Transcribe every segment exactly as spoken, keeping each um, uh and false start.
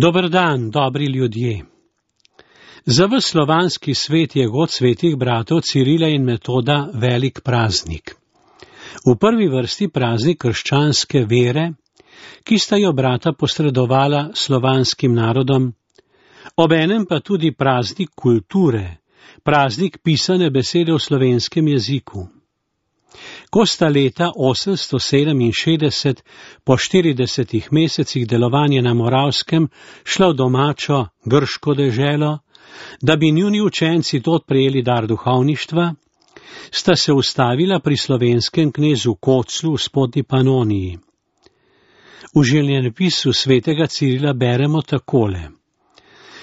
Dober dan, dobri ljudje. Za ves slovanski svet je god svetih bratov Cirila in Metoda velik praznik. V prvi vrsti praznik krščanske vere, ki sta jo brata posredovala slovanskim narodom, obenem pa tudi praznik kulture, praznik pisane besede v slovenskem jeziku. Ko sta leta osemsto sedeminšestdeset po štiridesetih mesecih delovanja na Moravskem šla v domačo grško deželo, da bi njuni učenci tod prejeli dar duhovništva, sta se ustavila pri slovenskem knezu Koclu v spodnji Panoniji. V življenjepisu svetega Cirila beremo takole.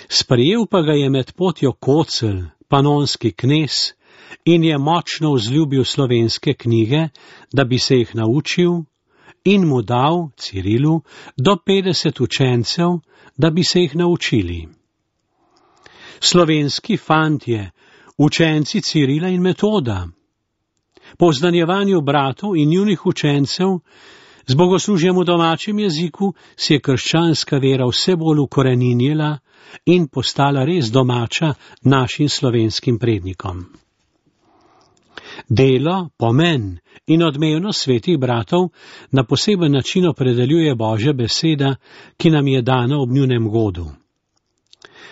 Sprejel pa ga je med potjo Kocel, panonski knez, in je močno vzljubil slovenske knjige, da bi se jih naučil, in mu dal, Cirilu, do petdeset učencev, da bi se jih naučili. Slovenski fantje, učenci Cirila in Metoda. Po oznanjevanju bratov in njunih učencev, z bogoslužjem v domačem jeziku, si je krščanska vera vse bolj ukoreninjila in postala res domača našim slovenskim prednikom. Delo, pomen in odmevnost svetih bratov na poseben način opredeljuje Božja beseda, ki nam je dana ob njunem godu.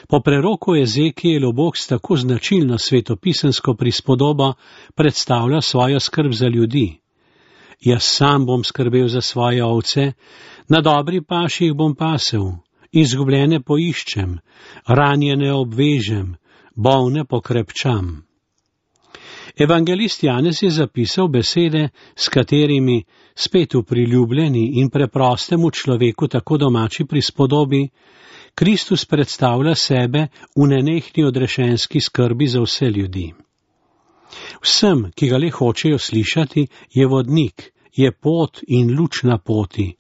Po preroku Ezekijelu Bog s tako značilno svetopisensko prispodobo predstavlja svojo skrb za ljudi. Jaz sam bom skrbel za svoje ovce, na dobri paši jih bom pasel, izgubljene poiščem, ranjene obvežem, bolne pokrepčam. Evangelist Janez je zapisal besede, s katerimi spet v priljubljeni in preprostemu človeku tako domači prispodobi, Kristus predstavlja sebe v nenehni odrešenski skrbi za vse ljudi. Vsem, ki ga le hočejo slišati, je vodnik, je pot in luč na poti.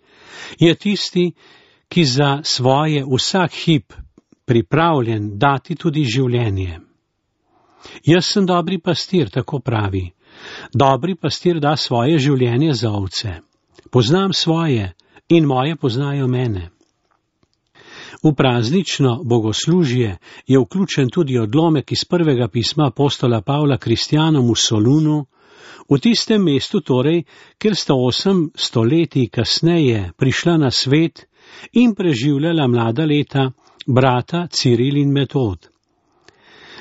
Je tisti, ki za svoje vsak hip pripravljen dati tudi življenje. Jaz sem dobri pastir, tako pravi. Dobri pastir da svoje življenje za ovce. Poznam svoje in moje poznajo mene. V praznično bogoslužje je vključen tudi odlomek iz prvega pisma apostola Pavla kristjanom v Solunu, v tistem mestu torej, kjer sta osem stoletij kasneje prišla na svet in preživljala mlada leta brata Ciril in Metod.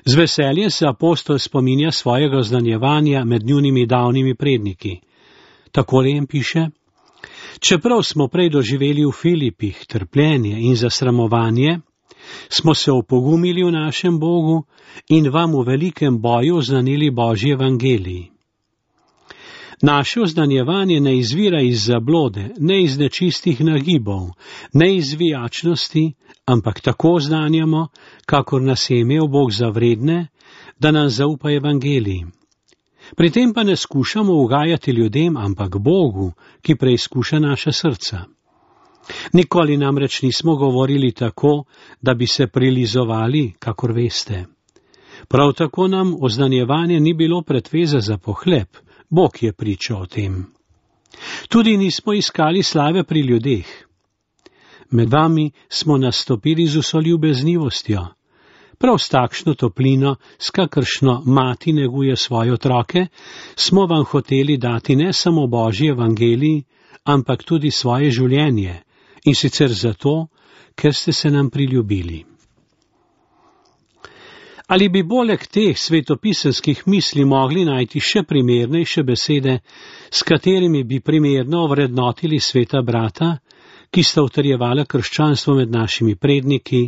Z veseljem se apostol spominja svojega oznanjevanja med njunimi davnimi predniki. Takole jim piše: Čeprav smo prej doživeli v Filipih trpljenje in zasramovanje, smo se opogumili v našem Bogu in vam v velikem boju oznanili Božji evangelij. Naše oznanjevanje ne izvira iz zablode, ne iz nečistih nagibov, ne iz vijačnosti, ampak tako oznanjamo, kakor nas je imel Bog za vredne, da nam zaupa evangelij. Pri tem pa ne skušamo ugajati ljudem, ampak Bogu, ki preizkuša naša srca. Nikoli namreč nismo govorili tako, da bi se prilizovali, kakor veste. Prav tako nam oznanjevanje ni bilo pretveza za pohleb, Bog je pričal o tem. Tudi nismo iskali slave pri ljudeh. Med vami smo nastopili z vso ljubeznivostjo. Prav s takšno toplino, s kakršno mati neguje svoje otroke, smo vam hoteli dati ne samo Božji evangelij, ampak tudi svoje življenje, in sicer zato, ker ste se nam priljubili. Ali bi poleg teh svetopisanskih misli mogli najti še primernejše besede, s katerimi bi primerno ovrednotili sveta brata, ki sta utrjevala krščanstvo med našimi predniki,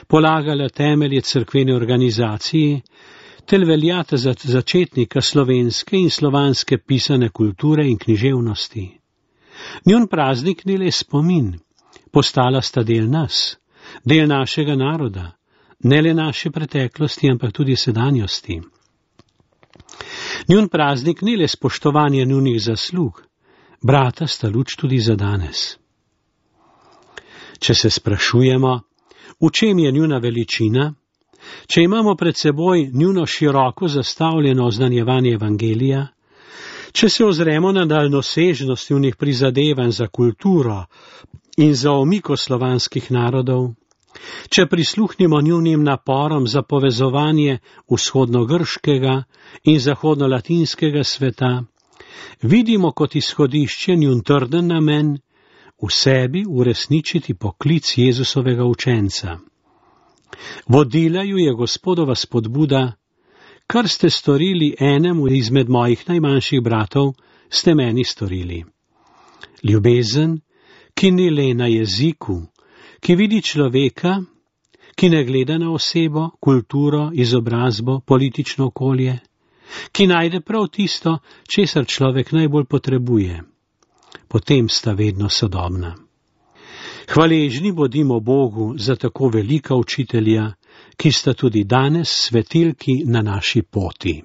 polagala temelje cerkvene organizacije, tel veljata za začetnika slovenske in slovanske pisane kulture in književnosti. Njun praznik ni le spomin, postala sta del nas, del našega naroda, ne le naše preteklosti, ampak tudi sedanjosti. Njun praznik ni le spoštovanje njunih zaslug, brata sta luč tudi za danes. Če se sprašujemo, v čem je njuna veličina, če imamo pred seboj njuno široko zastavljeno oznanjevanje evangelija, če se ozremo na daljnosežnost njunih prizadevanj za kulturo in za omiko slovanskih narodov, Če prisluhnimo njunim naporom za povezovanje vzhodnogrškega in zahodnolatinskega sveta, vidimo kot izhodišče njun trden namen v sebi uresničiti poklic Jezusovega učenca. Vodila ju je Gospodova spodbuda: kar ste storili enemu izmed mojih najmanjših bratov, ste meni storili. Ljubezen, ki ni le na jeziku, ki vidi človeka, ki ne gleda na osebo, kulturo, izobrazbo, politično okolje, ki najde prav tisto, česar človek najbolj potrebuje. Potem sta vedno sodobna. Hvaležni bodimo Bogu za tako velika učitelja, ki sta tudi danes svetilki na naši poti.